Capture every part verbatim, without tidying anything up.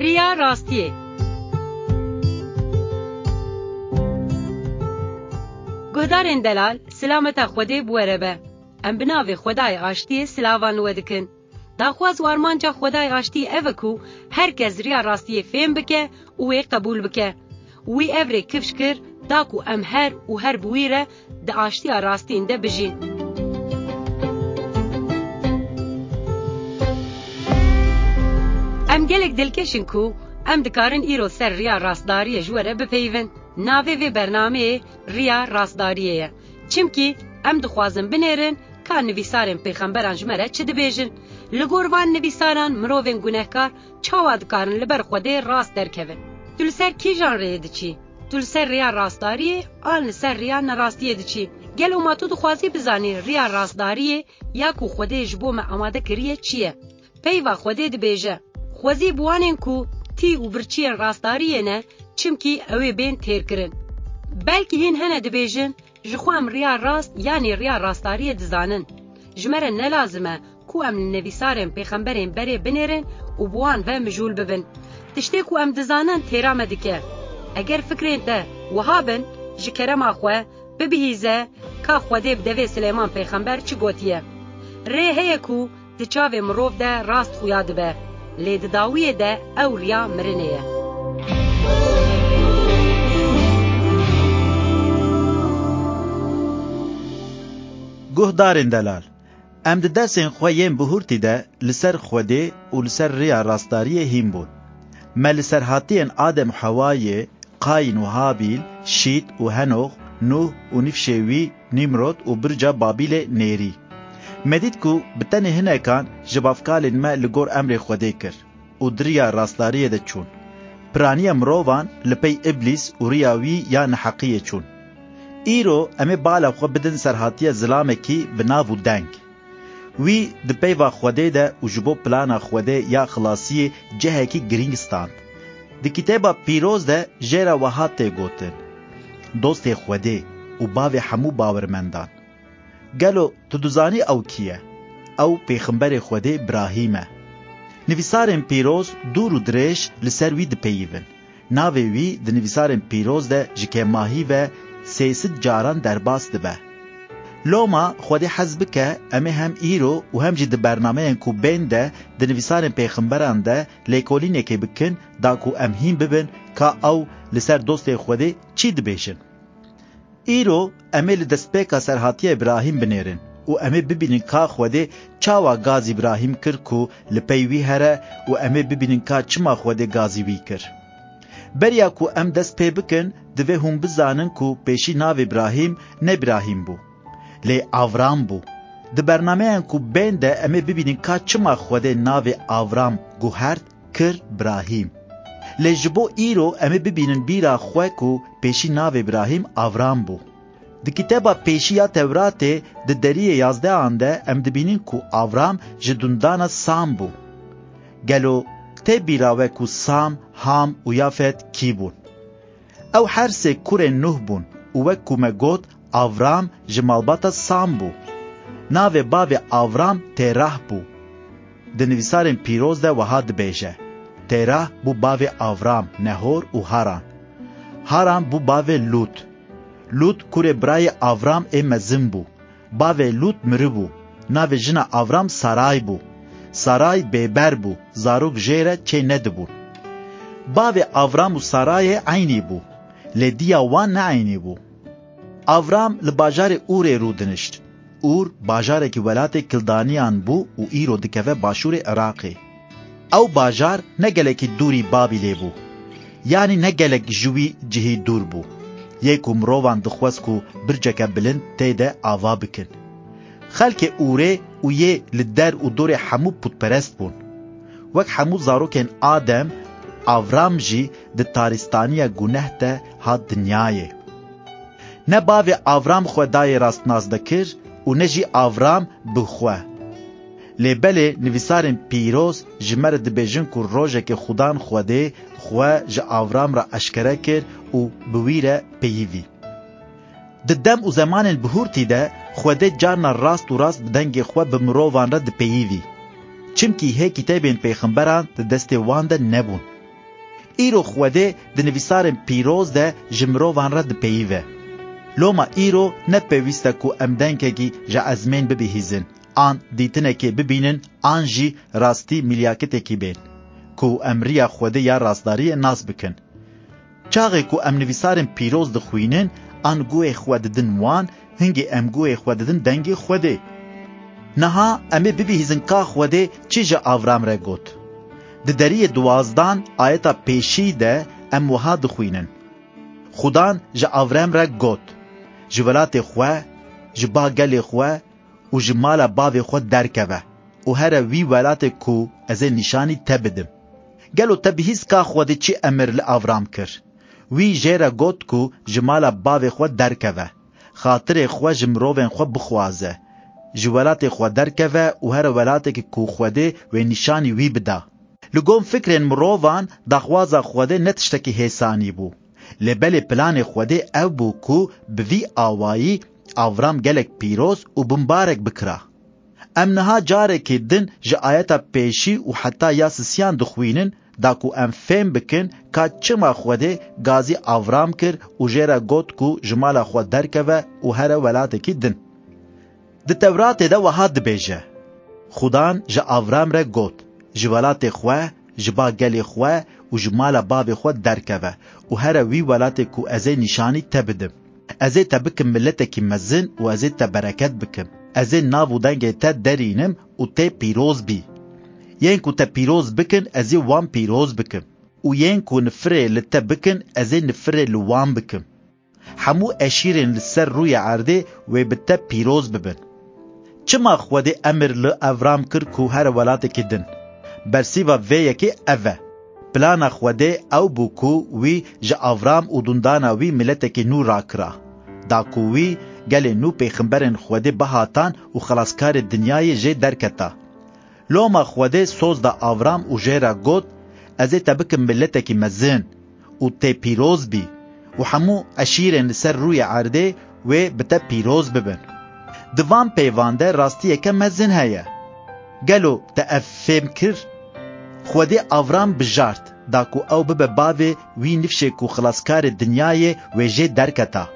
Riya rastiyê. Guhdarên delal, silameta Xwedê bi we re be. Em bi navê Xwedayê Aştiyê silavan li we dikin. Daxwaz û armanca Xwedayê Aştiyê ev e ku her kes riya rastiyê fêm bike û wê qebûl bike. Wî ev rê kifş kir, da ku em her û her bi wî re di aştiya rastîn de bijîn. Em gelek dilkeş in ku em dikarin îro ser riya rastdariyê ji we re bipeyivin. Navê vê bernameyê Riya Rastdariyê ye. Çimkî em dixwazin binêrin ka nivîsarên pêxemberan ji me re çi dibêjin. Li gor van nivîsaran mirovên gunehkar çawa dikarin li ber Xwedê rast derkevin? Tu li ser kîjan rêyê diçî? Tu li ser rêya rastdariyê an li ser rêya nerastiyê diçî? Gelo ma tu dixwazî bizanî rêya rastdariyê ya ku Xwedê ji bo me amade kiriye çi ye? Peyva Xwedê dibêje, Xwezî bi wanên ku tî û birçiyên rastdariyê ne, çimkî ew ê bên têrkirin. Belkî hîn hene dibêjin, Ji xwe em riya rast yanî riya rastdariyê dizanin. Ji me re ne lazim e ku em li nivîsarên pêxemberên berê binêrin û bi wan ve mijûl bibin. Tiştê ku em dizanin têra me dike. Eger fikrên te wiha bin, ji kerema xwe bibihîze ka Xwedê bi devê Silêman pêxember çi gotiye. Rê heye ku di çavê mirov de rast xuya dibe, lê di dawiyê de ew riya mirinê ye. Guhdarên delal, em di dersên xwe yên bihurtî de li ser Xwedê û li ser riya rastdariyê hîn bûn. Me li serhatiyên Adem û Hewayê, Qayîn û Habîl, Şît û Henox, Nûh û nifşê wî, Nîmrod û birca Babîlê nêrî. Me dît ku bi tenê hinekan ji bavkalên me li gor emrê Xwedê kir û di riya rastdariyê de çûn. Piraniya mirovan li pey Îblîs û riya wî ya neheqiyê çûn. Îro em ê bala xwe bidin serhatiya zilamekî bi nav û deng. Wî di peyva Xwedê de û ji bo plana Xwedê ya xilasiyê cihekî girîng stand. Di Kitêba Pîroz de jê re wiha tê gotin, Dostê Xwedê û bavê hemû bawermendan. Gelo tu dizanî ew kî ye? Ew pêxemberê Xwedê Birahîm e. Nivîsarên pîroz dûr û dirêj li ser wî dipeyivin. Navê wî di nivîsarên pîroz de ji kêmahî ve sê sed caran derbas dibe. Loma Xwedê hez bike, em ê hem îro û hem jî di bernameyên ku bên de di nivîsarên pêxemberan de lêkolînekê bikin, da ku em hîn bibin ka ew li ser dostê Xwedê çi dibêjin. Îro em ê li destpêka serhatiya Îbrahîm binêrin û em ê bibînin ka Xwedê çawa gazî Îbrahîm kir ku li pey wî here û em ê bibînin ka çima Xwedê gazî wî kir. Beriya ku em dest pê bikin, divê hûn bizanin ku pêşî navê Îbrahîm ne Îbrahîm bû, lê Avram bû. Di bernameyên ku bên de em ê bibînin ka çima Xwedê navê Avram guhert kir Birahîm. Lê ji bo îro em ê bibînin bîra xwe ku pêşî navê Birahîm Avram bû. Di kitêba pêşî ya Tewratê di deriyê yazdehan de em dibînin ku Avram ji dundana Sam bû. Gelo tê bîra we ku Sam, Ham û Yafet kî bûn? Ew her sê kurên Nuh bûn û wek ku me got, Avram ji malbata Sam bû. Navê bavê Avram Têrah bû. Di nivîsarên pîroz de wiha dibêje, Têrah bû bavê Avram, Nehor û Haran. Haran bû bavê Lût. Lût kurê birayê Avram ê mezin bû. Bavê Lût miribû. Navê jina Avram Saray bû. Saray bêber bû, zarok jê re çê nedibûn. Bavê Avram û Sarayê eynî bû, lê diya wan ne eynî bû. Avram li bajarê Ûrê rûdinişt. Ûr bajarekî welatê Kildaniyan bû û îro dikeve başûrê Iraqê. Ew bajar ne gelekî dûrî Babîlê bû. Yanî ne gelek ji wî cihî dûr bû. Yê ku mirovan dixwest ku birceke bilind tê de ava bikin. Xelkê Ûrê û yê li der û dorê hemû pûtperest bûn. Wek hemû zarokên Adem, Avram jî di tarîstaniya guneh de hat dinyayê. Ne bavê Avram xwe dayê rastnas dikir û ne jî Avram bi xwe. Lê belê nivîsarên pîroz ji me re dibêjin ku rojekê Xudan Xwedê xwe ji Avram re eşkere kir û bi wî re peyivî. Di dem û zemanên bihurtî de Xwedê carna rast û rast bi dengê xwe bi mirovan re dipeyivî. Çimkî hê kitêbên pêxemberan di destê wan de nebûn. Îro Xwedê di nivîsarên pîroz de ji mirovan re dipeyive. Loma îro ne pêwîst e ku em dengekî ji ezmên bibihîzin, an dîtinekê bibînin, an jî rastî milyaketekî bên, ku em riya Xwedê ya rastdariyê nas bikin. Çaxê ku em nivîsarên pîroz dixwînin, an guhê xwe didin wan, hingê em guhê xwe didin dengê Xwedê. Niha em ê bibihîzin ka Xwedê çi ji Avram re got. Di deriyê duwazdan ayeta pêşî de em wiha dixwînin: Xudan ji Avram re got: Ji welatê xwe, ji ba gelê xwe û ji mala bavê xwe derkeve û here wî welatê ku ez ê nîşanî te bidim. Gelo te bihîst ka Xwedê çi emir li Avram kir? Wî jê re got ku ji mala bavê xwe derkeve, xatirê xwe ji mirovên xwe bixwaze, ji welatê xwe derkeve û here welatekî ku Xwedê wê nîşanî wî bida. Li gom fikrên mirovan, daxwaza Xwedê ne tiştekî hêsanî bû. Lê belê planê Xwedê ew bû ku bi vî awayî Avram gelek pîroz û bimbarek bikira. Em niha carekê din ji ayeta pêşî û heta ya sisiyan dixwînin, da ku em fêm bikin ka çima Xwedê gazî Avram kir û jê re got ku ji mala xwe derkeve û here welatekî din. Di Tewratê de wiha dibêje: Xudan ji Avram re got: Ji welatê xwe, ji ba gelê xwe û ji mala bavê xwe derkeve û here wî welatê ku ez ê nîşanî te bidim. Ez ê te bikim miletekî mezin û ez ê te bereket bikim. Ez ê nav û dengê te derînim û tê pîroz bî. Yên ku te pîroz bikin, ez ê wan pîroz bikim. Û yên ku nifirê li te bikin, ez ê nifirê li wan bikim. Hemû eşîrên li ser rûyê erdê wê bi te pîroz bibin. Çima Xwedê emir li Evram kir ku here welatekî din? Bersîva vê yekê ev e. Plana Xwedê ew bû ku wî ji Avram û dundana wî miletekî nû rakira. Da ku wî gelê nû pêxemberên Xwedê bihatan û xelaskarê dinyayê jê derketa. Loma Xwedê soz da Avram û jê re got: Ez ê te bikim miletekî mezin û tê pîroz bî û hemû eşîrên li ser rûyê erdê wê bi te pîroz bibin. Di van peyvan de rastiyeke mezin heye. Gelo te ev fêm kir? Xwedê Avram bijart, da ku ew bibe bavê wî nifşê ku xilaskarê dinyayê wê jê derketa.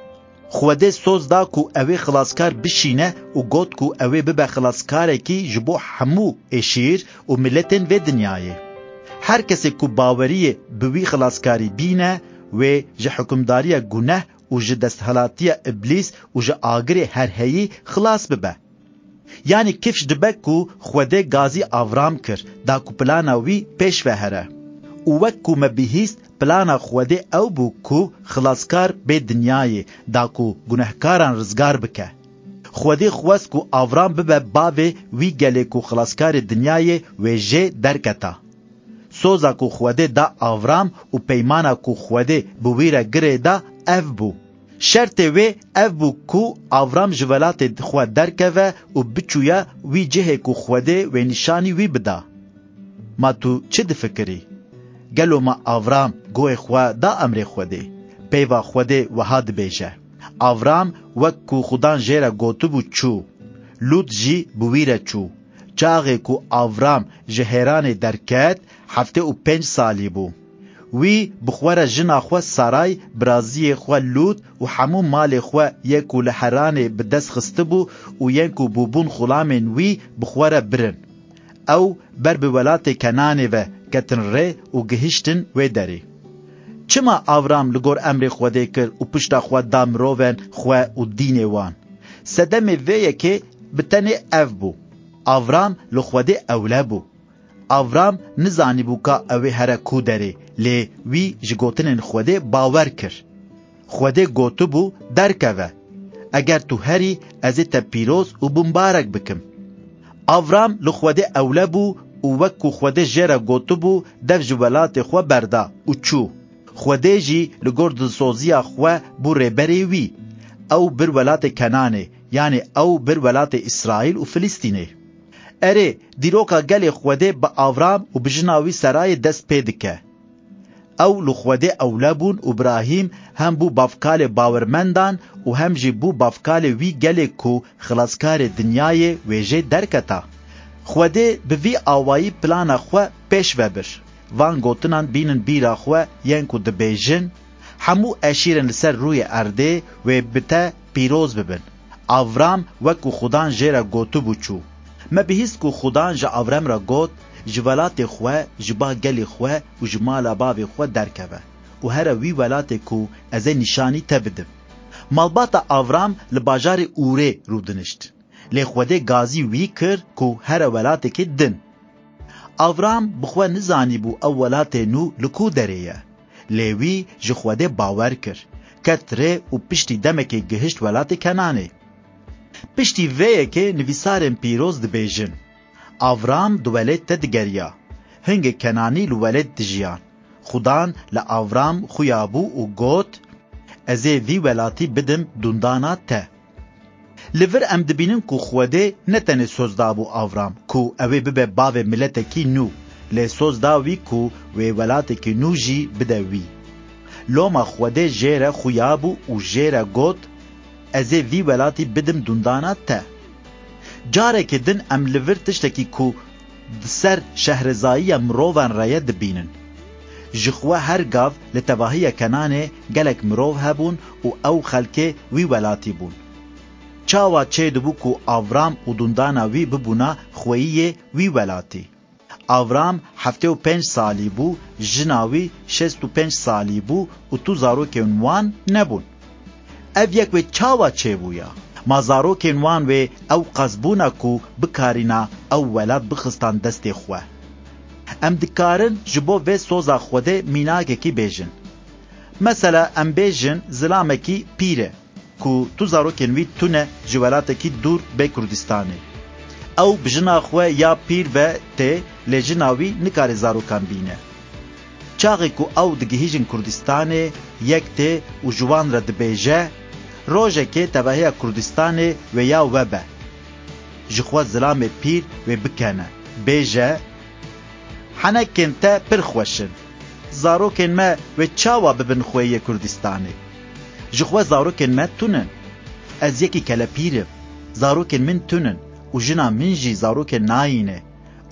Xwedê soz da ku ew ê xilaskar bişîne û got ku ew ê bibe xilaskarekî ji bo hemû êşîr û miletên vê dinyayê. Her kesê ku baweriyê bi wî xilaskarî bîne, wê ji hukimdariya guneh û ji desthilatiya Îblîs û ji agirê herheyî xilas bibe. Yanî kifş dibe ku Xwedê gazî Avram kir, da ku plana wî pêş ve here. Û wek ku me bihîst, plana Xwedê ew bû ku xilaskar bê dinyayê, da ku gunehkaran rizgar bike. Xwedê xwest ku Avram bibe bavê wî gelê ku xilaskarê dinyayê wê jê derketa. Soza ku Xwedê da Avram û peymana ku Xwedê bi wî re girê da ev bû. Şertê wê ev bû ku Avram ji welatê xwe derkeve û biçûya wî cihê ku Xwedê wê nîşanî wî bida. Ma tu çi difikirî? Gelo ma Avram guhê xwe da emrê Xwedê? Peyva Xwedê wiha dibêje: Avram wek ku Xudan jê re gotibû çû. Lût jî bi wî re çû. Çaxê ku Avram ji Hêranê derket, heftê û pênc salî bû. Wî bi xwe re jina xwe Saray, biraziyê xwe Lût û hemû malê xwe yê ku li Heranê bi dest xistibû û yên ku bûbûn xulamên wî bi xwe re birin. Ew ber bi welatê Kenanê ve ketin rê û gihiştin wê derê. Çima Avram li gor emrê Xwedê kir û pişta xwe da mirovên xwe û dînê wan? Sedemê vê yekê bi tenê ev bû: Avram li Xwedê ewle bû. Avram nizanîbû ka ew ê here ku derê, lê wî ji gotinên Xwedê bawer kir. Xwedê gotibû: Derkeve. Eger tu herî, ez ê te pîroz û bimbarek bikim. Avram li Xwedê ewle bû û wek ku Xwedê jê re gotibû, dev ji welatê xwe berda û çû. Xwedê jî li gor dilsoziya xwe bû rêberê wî. Ew bir welatê Kenanê, yanî ew bir welatê Îsraîl û Filistînê. Erê, dîroka gelê Xwedê bi Avram û bi jina wî Serayê dest pê dike. Ew li Xwedê ewle bûn û Îbrahîm hem bû bavkalê bawermendan û hem jî bû bavkalê wî gelê ku xilaskarê dinyayê wê jê derketa. Xwedê bi vî awayî plana xwe pêş ve bir. van gotinan bînin bîra xwe yên ku dibêjin, hemû eşîrên li ser rûyê erdê wê bi te pîroz bibin. Avram wek ku Xudan jê re gotibû çû. Me bihîst ku Xudan ji Avram re got, ji welatê xwe, ji ba gelê xwe û ji mala bavê xwe derkeve û here wî welatê ku ez ê nîşanî te bidim. Malbata Avram li bajarê Ûrê rûdinişt. Lê Xwedê gazî wî kir ku here welatekê din. Avram bi xwe nizanîbû ew welatê nû li ku derê ye. Lê wî ji Xwedê bawer kir, ket rê û piştî demekê gihişt welatê Kenanê. Piştî vê yekê nivîsarên pîroz dibêjin, Avram di welêt te digeriya, hingê Kenanî li welêt dijiyan. Xudan li Avram xuya bû û got, ez ê vî welatî bidim dundana te. Li vir em dibînin ku Xwedê ne tenê soz dabû Avram ku ew ê bibe bavê miletekî nû, lê soz da wî ku wê welatekî nû jî bide wî. Loma Xwedê jê re xuya bû û jê re got, ez ê vî welatî bidim dundana te. Carekê din em li vir tiştekî ku di ser şehrezayiya mirovan re ye dibînin. Ji xwe her gav li tevahiya Kenanê gelek mirov hebûn û ew xelkê wî welatî bûn. Çawa çêdibû ku Avram û dundana wî bibûna xweyiyê wî welatî? Avram heftê û pênc salî bû, jina wî şêst û pênc salî bû û tu zarokên wan nebûn. Ev yek wê çawa çêbûya? Ma zarokên wan wê ew qas bûna ku bikarîna ew welat bixistan destê xwe? Em dikarin ji bo vê soza Xwedê mînakekî bêjin. Mesela em bêjin zilamekî pîr e ku tu zarokên wî tune ji welatekî dûr bê Kurdistanê. Ew bi jina xwe ya pîr ve tê, lê jina wî nikare zarokan bîne. Çaxê ku ew digihîjin Kurdistanê, yek tê û ji wan re dibêje, rojekê tevahiya Kurdistanê wê ya we be. Ji xwe zilamê pîr wê bikene. Bêje, henekên te pir xweş in. Zarokên me wê çawa bibin xweyê Kurdistanê? Ji xwe zarokên me tune ne. Ez yekî kelepîr im. Zarokên min tune ne û jina min jî zarokên nayîne.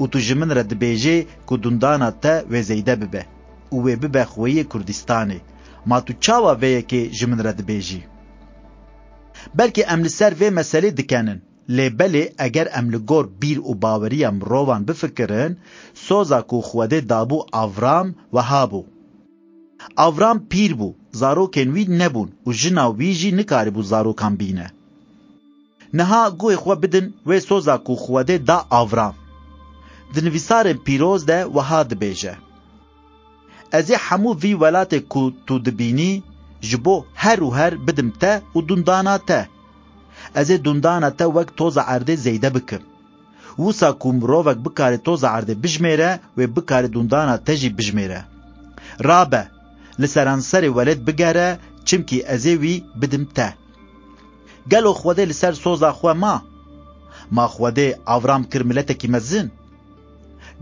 Û tu ji min re dibêjê ku dundana te wê zêde bibe û wê bibe xweyê Kurdistanê. Ma tu çawa vê yekê ji min re dibêjî? Belkî em li ser vê meselê dikenin. Lê belê eger em li gor bîr û baweriya mirovan bifikirin, soza ku Xwedê dabû Avram wiha bû. Avram pîr bû, zarokên wî nebûn û jina wî jî nikaribû zarokan bîne. Niha guhê xwe bidin wê soza ku Xwedê da Avram. Di nivîsarên pîroz de wiha dibêje, ez ê hemû vî welatê ku tu dibînî, ji bo her û her bidim te û dundana te. Ez ê dundana te wek toza erdê zêde bikim. Wisa ku mirovek bikare toza erdê bijmêre, wê bikare dundana te jî bijmêre. Rabe, li seranserê welêt bigere, çimkî ez ê wî bidim te. Gelo Xwedê li ser soza xwe ma? Ma Xwedê Avram kir miletekî mezin?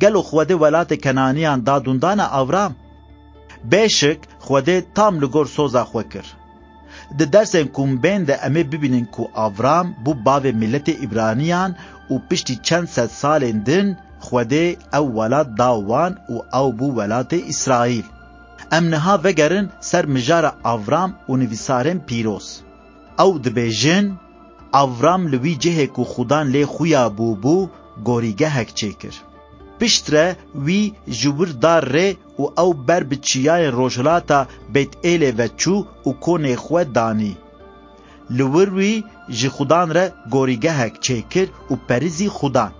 Gelo Xwedê welatê Kenaniyan da dundana Avram? Bêşik Xwedê tam li gor soza xwe kir. Di dersên ku hûn bên de em ê bibînin ku Avram bû bavê miletê Îbraniyan û piştî çend sed salên din Xwedê ew welat da wan û ew bû welatê Îsraîl. Em niha vegerin ser mijara Avram û nivîsarên pîroz. Ew dibêjin, Avram li wî cihê ku Xudan lê xuya bûbû, gorîgehek çêkir. Piştre wî ji wir da rê û ew ber bi çiyayên rojhilata Bêtêlê ve çû û konê xwe danî. Li wir wî ji Xudan re gorîgehek çêkir û perizî Xudan.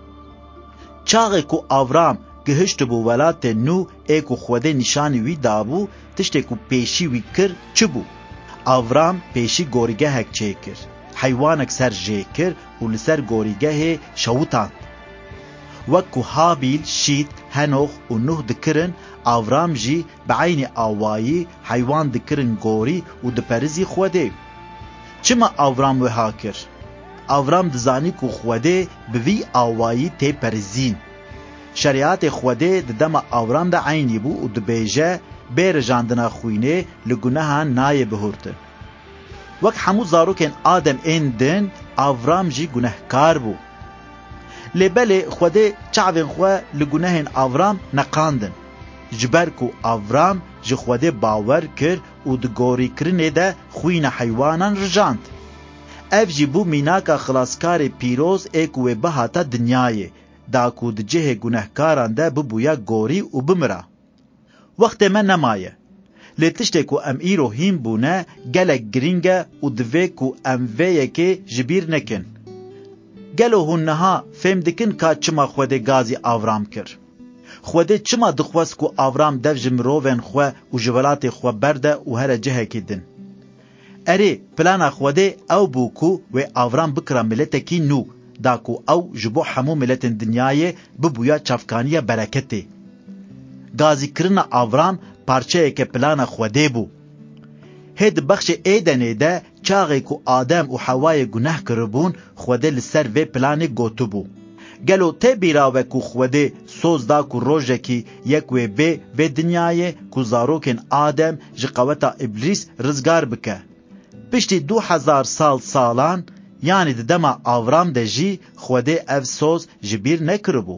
Çaxê ku Avram gihiştibû welatê nû ê ku Xwedê nîşanî wî dabû, tiştê ku pêşî wî kir çi bû? Avram pêşî gorîgehek çêkir, heywanek ser jê kir û li ser gorîgehê şewitand. Wek ku Habîl, Şît, Henox û Nuh dikirin, Avram jî bi eynî awayî heywan dikirin gorî û diperizî Xwedê. Çima Avram wiha kir? Avram dizanî ku Xwedê bi vî awayî tê perizîn. Şerîatê Xwedê di dema Avram de eynî bû û dibêje, bê rijandina xwînê li gunehan nayê bihurtin. Wek hemû zarokên Adem ên din, Avram jî gunehkar bû. Lê belê Xwedê çavên xwe li gunehên Avram neqandin. Ji ber ku Avram ji Xwedê bawer kir û di gorîkirinê de xwîna heywanan rijand. Ev jî bû mînaka xilaskarê pîroz ê ku wê bihata dinyayê, da ku di cihê gunehkaran de bibûya gorî û bimira. Wextê me nemaye. Lê tiştê ku em îro hîn bûne gelek girîng e û divê ku em vê yekê ji bîr nekin. Gelo hûn niha fêm dikin ka çima Xwedê gazî Avram kir? Xwedê çima dixwest ku Avram dev ji mirovên xwe û ji welatê xwe berde û here cihekî din? Erê, plana Xwedê ew bû ku wê Avram bikira miletekî nû, da ku ew ji bo hemû miletên dinyayê bibûya çavkaniya bereketê. Gazîkirina Avram parçeyeke plana Xwedê bû. Hê di bexşê Êdenê de çaxê ku Adem û Hewayê guneh kiribûn, Xwedê li ser vê planê gotibû. Gelo tê bîra we ku Xwedê soz da ku rojekî yek wê bê vê dinyayê ku zarokên Adem ji qeweta Îblîs rizgar bike? Piştî du hezar sal salan, yanî di dema Avram de jî Xwedê ev soz ji bîr nekiribû.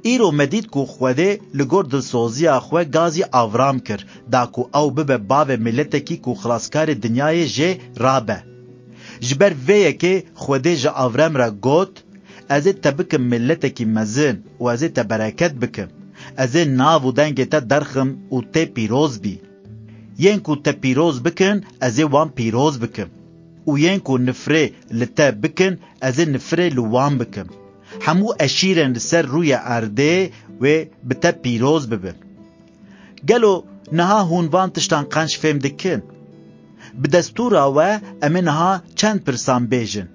Îro me dît ku Xwedê li gor dilsoziya xwe gazî Avram kir, da ku ew bibe bavê miletekî ku xilaskarê dinyayê jê rabe. Ji ber vê yekê Xwedê ji Avram re got, "Ez ê te bikim miletekî mezin û ez ê te bereket bikim. Ez ê nav û dengê te derxim û tê pîroz bî. Yên ku te pîroz bikin, ez ê wan pîroz bikim. Û yên ku nifrê li te bikin, ez ê nifrê li wan bikim. Hemû eşîrên li ser rûyê erdê wê bi te pîroz bibin." Gelo niha hûn van tiştan qenc fêm dikin? Bi destûra we em ê niha çend pirsan bêjin.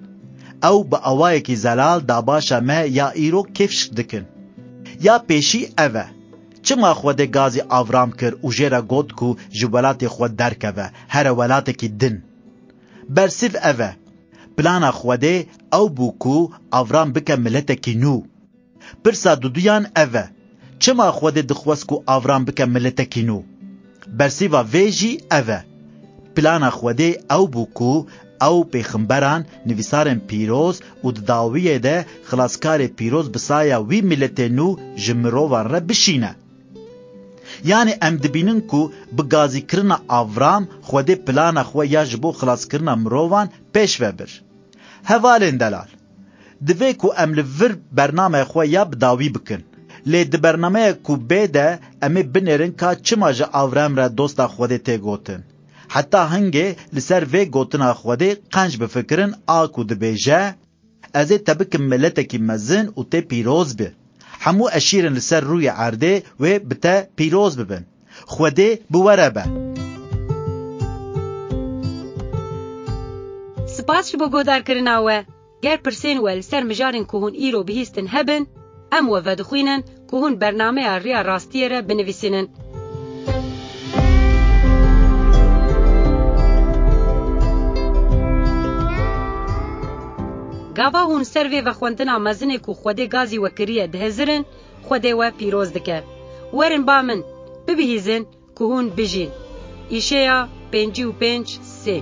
Ew bi awayekî zelal dabaşa me ya îro kêfşik dikin. Ya pêşî ev e. Çima Xwedê gazî Avram kir û jê re got ku ji welatê xwe derkeve, here welatekî din? Bersîv ev e. Plana Xwedê ew bû ku Avram bike miletekî nû. Pirsa duduyan ev e. Çima Xwedê dixwest ku Avram bike miletekî nû? Bersîva vê jî ev e. Plana Xwedê ew bû ku ew pêxemberan, nivîsarên pîroz û di dawiyê de xilaskarê pîroz bi saya wî miletê nû ji mirovan re bişîne. Yanî em dibînin ku bi gazîkirina Avram Xwedê plana xwe ya ji bo xilaskirina mirovan pêş ve bir. Hevalên delal, divê ku em li vir bernameya xwe ya bi dawî bikin. Lê di bernameya ku bê de em ê binêrin ka çima ji Avram re dosta Xwedê tê gotin. Heta hingê li ser vê gotina Xwedê qenc bifikirin a ku dibêje, "Ez ê te bikim miletekî mezin û tê pîroz bi. Hemû eşîrên li ser rûyê erdê wê bi te pîroz bibin." Xwedê bi we re be. Spas ji bo guhdarkirina we. Ger pirsên we li ser mijarên ku hûn îro bihîstin hebin, em we vedixwînin ku hûn bernameya Riya Rastiyê re binivîsînin. Gava hûn ser vê vexwendina mezinê ku Xwedê gazî we kiriye dihizirin, Xwedê we pîroz dike. Werin ba min, bibihîzin ku hûn bijîn. Îşeya pêncî û pênc sê.